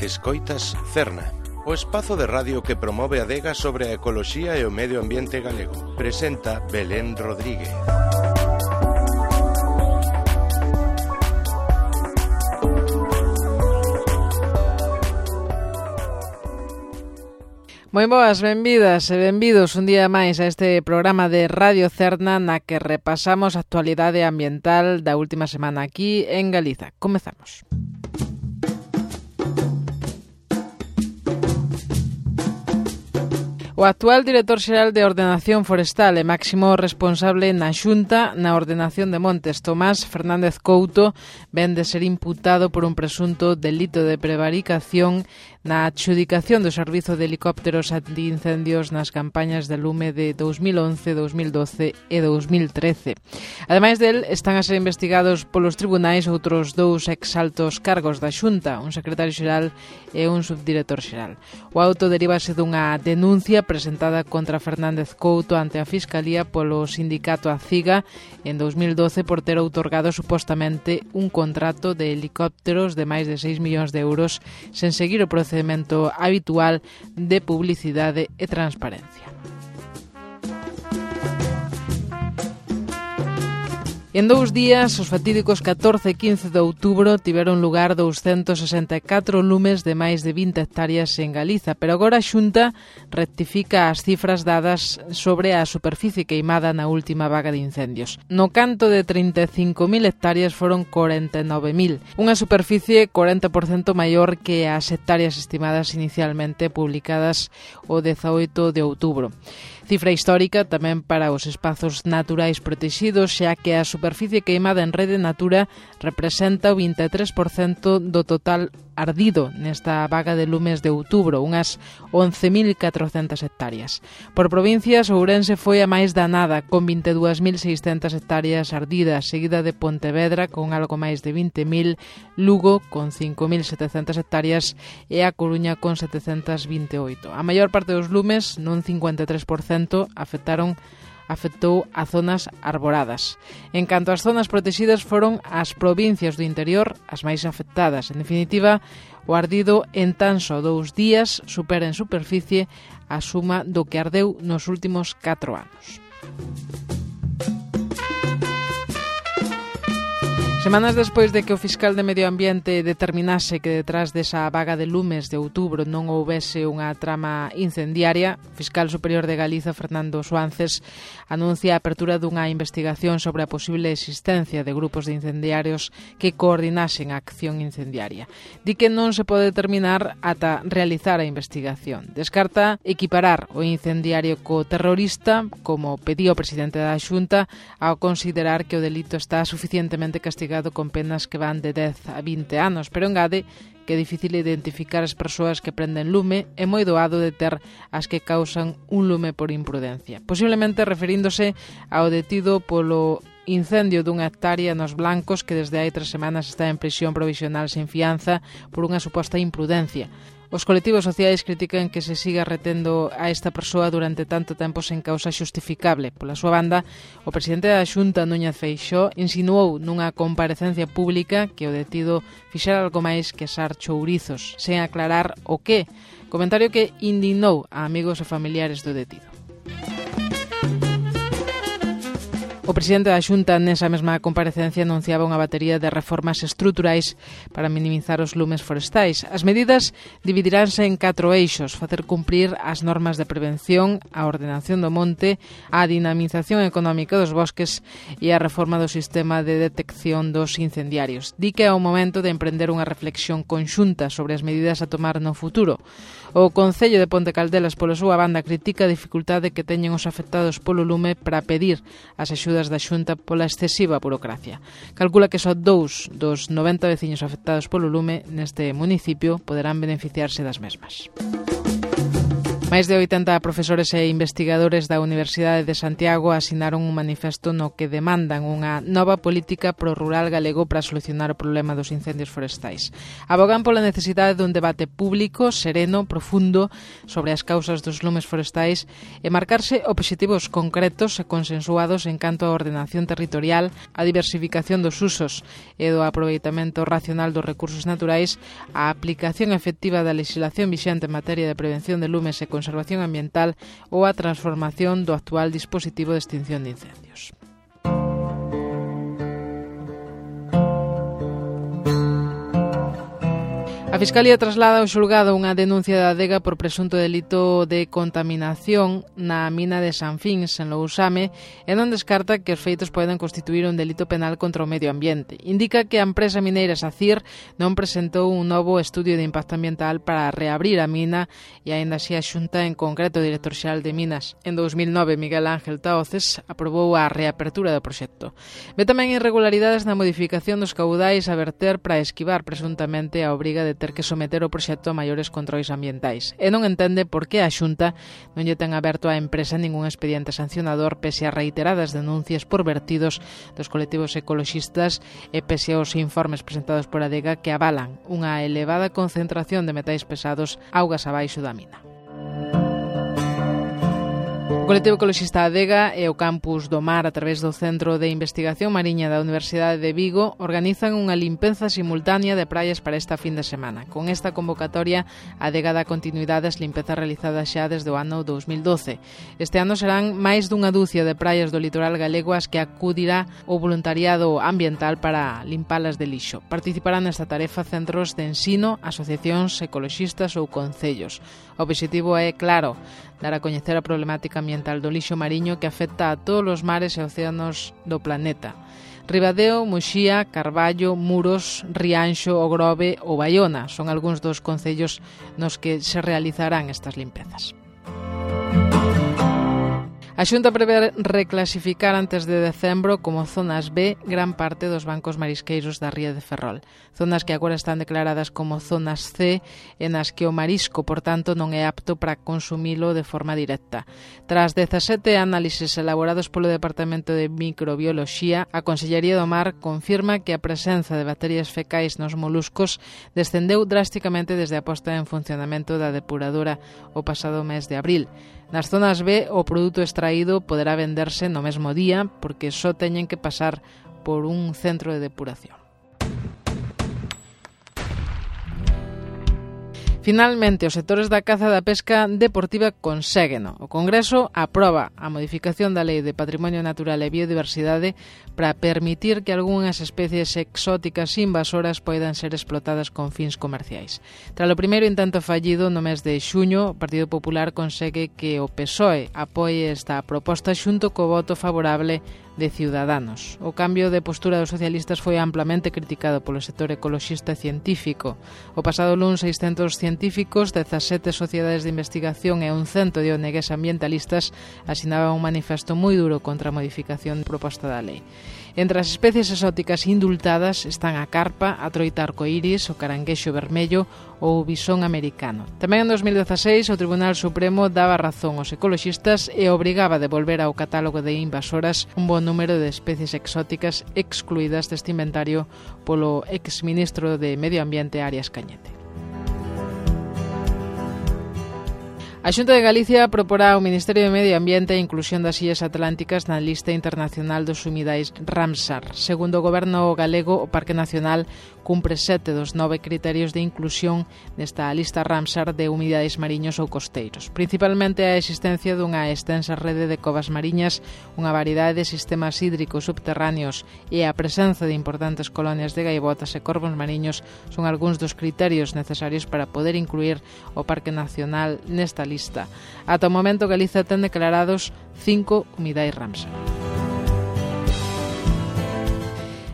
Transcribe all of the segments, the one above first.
Escoitas Cerna, o espazo de radio que promove a adega sobre a ecoloxía e o medio ambiente galego. Presenta Belén Rodríguez. Moi boas, benvidas e benvidos un día máis a este programa de Radio Cerna na que repasamos a actualidade ambiental da última semana aquí en Galiza. Comezamos. O actual director xeral de Ordenación Forestal e máximo responsable na Xunta na Ordenación de Montes, Tomás Fernández Couto, ven de ser imputado por un presunto delito de prevaricación na adxudicación do servizo de helicópteros antiincendios nas campañas de lume de 2011, 2012 e 2013. Ademais del, están a ser investigados polos tribunais outros dous exaltos cargos da Xunta, un secretario xeral e un subdirector xeral. O auto derívase dunha denuncia presentada contra Fernández Couto ante a Fiscalía polo sindicato ACIGA en 2012 por ter outorgado supostamente un contrato de helicópteros de máis de 6 millóns de euros sen seguir o procedimento habitual de publicidade e transparencia. En 2 días, os fatídicos 14 e 15 de outubro tiveron lugar 264 lumes de máis de 20 hectáreas en Galiza, pero agora a Xunta rectifica as cifras dadas sobre a superficie queimada na última vaga de incendios. No canto de 35.000 hectáreas foron 49.000, unha superficie 40% maior que as hectáreas estimadas inicialmente publicadas o 18 de outubro. Cifra histórica tamén para os espazos naturais protegidos, xa que a superficie queimada en Rede Natura representa o 23% do total ardido nesta vaga de lumes de outubro, unhas 11.400 hectáreas. Por provincias, Ourense foi a máis danada, con 22.600 hectáreas ardidas, seguida de Pontevedra, con algo máis de 20.000, Lugo, con 5.700 hectáreas, e a Coruña, con 728. A maior parte dos lumes, nun 53%, afectou a zonas arboradas. En canto ás zonas protegidas, foron as provincias do interior as máis afectadas. En definitiva, o ardido en tan só 2 días supera en superficie a suma do que ardeu nos últimos 4 anos. Semanas despois de que o fiscal de Medio Ambiente determinase que detrás desa vaga de lumes de outubro non houbese unha trama incendiaria, o fiscal superior de Galiza, Fernando Suances, anuncia a apertura dunha investigación sobre a posible existencia de grupos de incendiarios que coordinasen a acción incendiaria. Di que non se pode determinar ata realizar a investigación. Descarta equiparar o incendiario co terrorista, como pedía o presidente da Xunta, ao considerar que o delito está suficientemente castigado con penas que van de 10 a 20 anos, pero engade que é difícil identificar as persoas que prenden lume e moi doado deter as que causan un lume por imprudencia. Posiblemente referíndose ao detido polo incendio dunha hectárea nos Blancos que desde hai 3 semanas está en prisión provisional sen fianza por unha suposta imprudencia. Os colectivos sociais critican que se siga retendo a esta persoa durante tanto tempo sen causa xustificable. Pola súa banda, o presidente da Xunta, Núñez Feixóo, insinuou nunha comparecencia pública que o detido fixera algo máis que asar chourizos, sen aclarar o que, comentario que indignou a amigos e familiares do detido. O presidente da Xunta nesa mesma comparecencia anunciaba unha batería de reformas estruturais para minimizar os lumes forestais. As medidas dividiránse en 4 eixos: facer cumprir as normas de prevención, a ordenación do monte, a dinamización económica dos bosques e a reforma do sistema de detección dos incendiarios. Di que é o momento de emprender unha reflexión conxunta sobre as medidas a tomar no futuro. O Concello de Ponte Caldelas, pola súa banda, critica a dificultade que teñen os afectados polo lume para pedir as axudas da Xunta pola excesiva burocracia. Calcula que só 2 dos 90 veciños afectados polo lume neste municipio poderán beneficiarse das mesmas. Máis de 80 profesores e investigadores da Universidade de Santiago asinaron un manifesto no que demandan unha nova política pro rural galego para solucionar o problema dos incendios forestais. Abogan pola necesidade dun debate público, sereno, profundo, sobre as causas dos lumes forestais e marcarse obxectivos concretos e consensuados en canto á ordenación territorial, a diversificación dos usos e do aproveitamento racional dos recursos naturais, a aplicación efectiva da legislación vixente en materia de prevención de lumes e conservación ambiental ou a transformación do actual dispositivo de extinción de incendios. A Fiscalía traslada ao xulgado unha denuncia da Adega por presunto delito de contaminación na mina de San Fins, en Lousame, e non descarta que os feitos poden constituir un delito penal contra o medio ambiente. Indica que a empresa mineira SACIR non presentou un novo estudio de impacto ambiental para reabrir a mina e aínda así a Xunta, en concreto o director xeral de Minas, en 2009, Miguel Ángel Taoces, aprobou a reapertura do proxecto. Ve tamén irregularidades na modificación dos caudais a verter para esquivar presuntamente a obriga de ter que someter o proxecto a maiores controis ambientais e non entende por que a Xunta non lle ten aberto á empresa ningún expediente sancionador pese a reiteradas denuncias por vertidos dos colectivos ecoloxistas e pese aos informes presentados por Adega que avalan unha elevada concentración de metais pesados augas abaixo da mina. O colectivo ecoloxista Adega e o Campus do Mar, a través do Centro de Investigación Mariña da Universidade de Vigo, organizan unha limpeza simultánea de praias para esta fin de semana. Con esta convocatoria, Adega dá continuidade ás limpezas realizadas xa desde o ano 2012. Este ano serán máis dunha dúcia de praias do litoral galego as que acudirá o voluntariado ambiental para limpalas de lixo. Participarán nesta tarefa centros de ensino, asociacións ecoloxistas ou concellos. O obxectivo é, claro, dar a coñecer a problemática ambiental do lixo mariño que afecta a todos os mares e océanos do planeta. Ribadeo, Muxía, Carballo, Muros, Rianxo, O Grove ou Baiona son algúns dos concellos nos que se realizarán estas limpezas. A Xunta prevé reclasificar antes de decembro como zonas B gran parte dos bancos marisqueiros da ría de Ferrol. Zonas que agora están declaradas como zonas C e nas que o marisco, por tanto, non é apto para consumilo de forma directa. Tras 17 análises elaborados polo Departamento de Microbioloxía, a Consellería do Mar confirma que a presenza de bacterias fecais nos moluscos descendeu drásticamente desde a posta en funcionamento da depuradora o pasado mes de abril. Nas zonas B, o produto extraído poderá venderse no mesmo día porque só teñen que pasar por un centro de depuración. Finalmente, os sectores da caza e da pesca deportiva conségueno. O Congreso aproba a modificación da Lei de Patrimonio Natural e Biodiversidade para permitir que algunhas especies exóticas invasoras poidan ser explotadas con fins comerciais. Tras o primeiro intento fallido no mes de xuño, o Partido Popular consegue que o PSOE apoie esta proposta xunto co voto favorable de Ciudadanos. O cambio de postura dos socialistas foi amplamente criticado polo sector ecoloxista e científico. O pasado luns, 600 científicos, 17 sociedades de investigación e un cento de ONGs ambientalistas asinaban un manifesto moi duro contra a modificación proposta da lei. Entre as especies exóticas indultadas están a carpa, a troita arcoíris, o caranguexo vermello ou o bisón americano. Tamén en 2016 o Tribunal Supremo daba razón aos ecoloxistas e obrigaba a devolver ao catálogo de invasoras un bon número de especies exóticas excluídas deste inventario polo exministro de Medio Ambiente Arias Cañete. A Xunta de Galicia proporá ao Ministerio de Medio Ambiente a inclusión das illas atlánticas na lista internacional dos humidais Ramsar. Segundo o Goberno galego, o Parque Nacional cumpre 7 dos 9 criterios de inclusión nesta lista Ramsar de humidais mariños ou costeiros. Principalmente a existencia dunha extensa rede de covas mariñas, unha variedade de sistemas hídricos subterráneos e a presenza de importantes colonias de gaivotas e corvos mariños son algúns dos criterios necesarios para poder incluir o Parque Nacional nesta lista. Ata o momento, Galiza ten declarados 5 humidais Ramsar.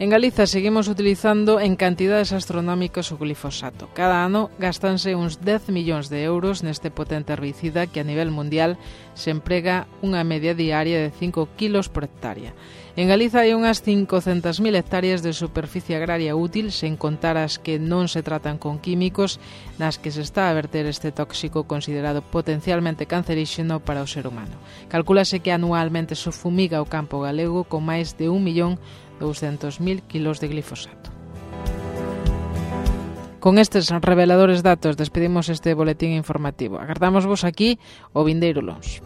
En Galiza seguimos utilizando en cantidades astronómicas o glifosato. Cada ano gastanse uns 10 millóns de euros neste potente herbicida que a nivel mundial se emprega unha media diaria de 5 kilos por hectárea. En Galiza hai unhas 500.000 hectáreas de superficie agraria útil, sen contar as que non se tratan con químicos, nas que se está a verter este tóxico considerado potencialmente canceríxeno para o ser humano. Calcúlase que anualmente se fumiga o campo galego con máis de 1.200.000 kilos de glifosato. Con estes reveladores datos despedimos este boletín informativo. Agardamos vos aquí o vindeiro luns.